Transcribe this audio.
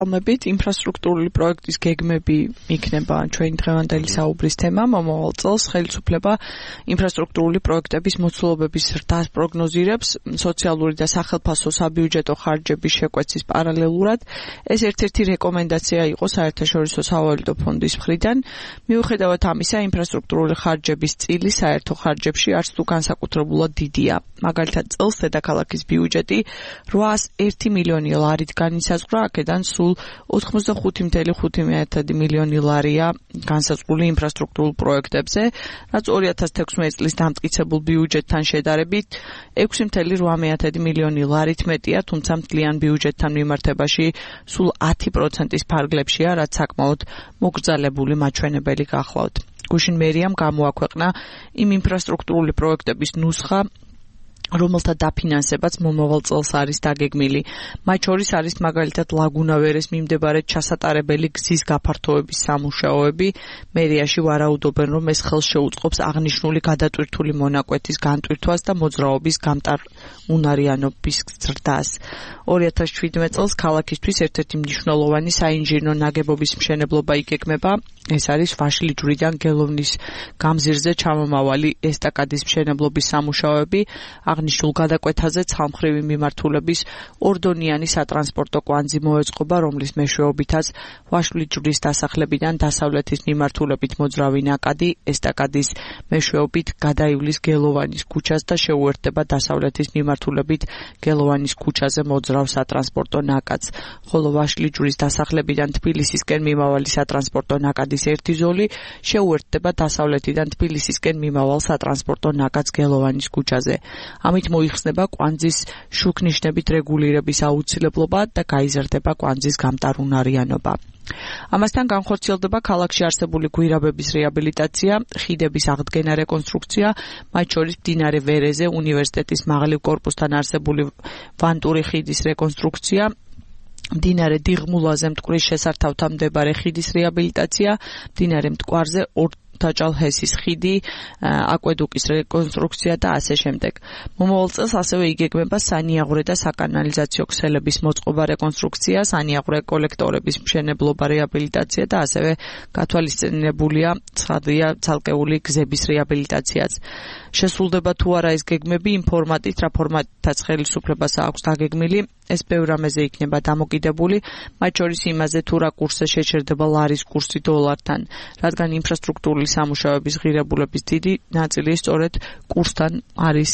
მოგებით ინფრასტრუქტურული პროექტის გეგმები იქნება ჩვენი დღევანდელი საუბრის თემა. მომავალ წელს ხელისუფლება ინფრასტრუქტურული პროექტების მოცულობების ზრდას პროგნოზირებს სოციალური და სახელმწიფო საბიუჯეტო ხარჯების შეკვეცის პარალელურად. ეს ერთ-ერთი რეკომენდაცია იყო საერთაშორისო სავალუტო ფონდის მხრიდან. მიუხედავად ამისა, ინფრასტრუქტურული ხარჯების წილი საერთო ხარჯებში არც თუ განსაკუთრებულად დიდია. მაგალითად, წელს დედაქალაქის ბიუჯეტი 801 მილიონი ლარით განისაზღვრა, აქედან სულ 85.5 მილიონი ლარია განსაზღვრული ინფრასტრუქტურულ პროექტებზე, რაც 2016 წლის დამტკიცებულ ბიუჯეტთან შედარებით 6.8 მილიონი ლარით მეტია, თუმცა მთლიან ბიუჯეტთან მიმართებაში სულ 10%-ის ფარგლებშია, რაც საკმაოდ მოგრძალებული მაჩვენებელი გახლავთ. გუშინ მერიამ გამოაქვეყნა იმ ინფრასტრუქტურული პროექტების ნუსხა, რომელთა დაფინანსებაც მომავალ წელს არის დაგეგმილი. მათ შორის არის მაგალითად ლაგუნავერეს მიმდებარედ ჩასატარებელი გზის გაფართოების სამუშაოები. მერიაში ვარაუდობენ, რომ ეს ხელს შეუწყობს აღნიშნული გადატვირთული მონაკვეთის განტვირთვას და მოძრაობის გამტარუნარიანობის ზრდას. 2017 წელს ქალაქისთვის ერთ-ერთი მნიშვნელოვანი საინჟინრო ნაგებობის მშენებლობა იგეგმება. ეს არის ვაშლიჯვრიდან გელოვნის გამზირზე ჩამომავალი ესტაკადის მშენებლობის სამუშაოები. აღნიშნულ გადაკვეთაზე ცალმხრივი მიმართულების ორდონიანი სატრანსპორტო კვანძი მოეწყობა, რომლის მეშვეობითაც ვაშლიჯვრის დასახლებიდან დასავლეთის მიმართულებით მოძრავი ნაკადი ესტაკადის მეშვეობით გადაივლის გელოვანის ქუჩას და შეუერთდება დასავლეთის მიმართულებით გელოვანის ქუჩაზე მოძრავ სატრანსპორტო ნაკადს, ხოლო ვაშლიჯვრის დასახლებიდან თბილისისკენ მიმავალი სატრანსპორტო ნაკადის ერთი ზოლი შეუერთდება დასავლეთიდან თბილისისკენ მიმავალ სატრანსპორტო ნაკადს გელოვანის ქუჩაზე. ამით მოიხსნება კვანძის შუქნიშნებით რეგულირების აუცილებლობა და გაიზარდება კვანძის გამტარუნარიანობა. ამასთან განხორციელდება ქალაქში არსებული გვირაბების რეაბილიტაცია, ხიდების აღდგენა, რეკონსტრუქცია, მათ შორის მდინარე ვერეზე უნივერსიტეტის მაღლივ კორპუსთან არსებული ვანტური ხიდის რეკონსტრუქცია, მდინარე დიღმულაზე მტკვრის შესართავთან მდებარე ხიდის რეაბილიტაცია, მდინარე მტკვარზე თაჭალჰესის ხიდი, აკვედუკის რეკონსტრუქცია და ასე შემდეგ. მომავალ წელს ასევე იგეგმება სანიაღვრე და საკანალიზაციო ქსელების მოწყობა, რეკონსტრუქცია, სანიაღვრე კოლექტორების მშენებლობა, რეაბილიტაცია და ასევე გათვალისწინებულია ცხადია ცალკეული გზების რეაბილიტაციაც. შესრულდება თუ არა ეს გეგმები იმ ფორმატით, რა ფორმატითაც ხელისუფლებას აქვს დაგეგმილი, ეს ბევრ რამეზე იქნება დამოკიდებული, მათ შორის იმაზე, თუ რა კურსზე შეჩერდება ლარის კურსი დოლართან, რადგან ინფრასტრუქტურული სამუშაოების ღირებულების დიდი ნაწილი სწორედ კურსთან არის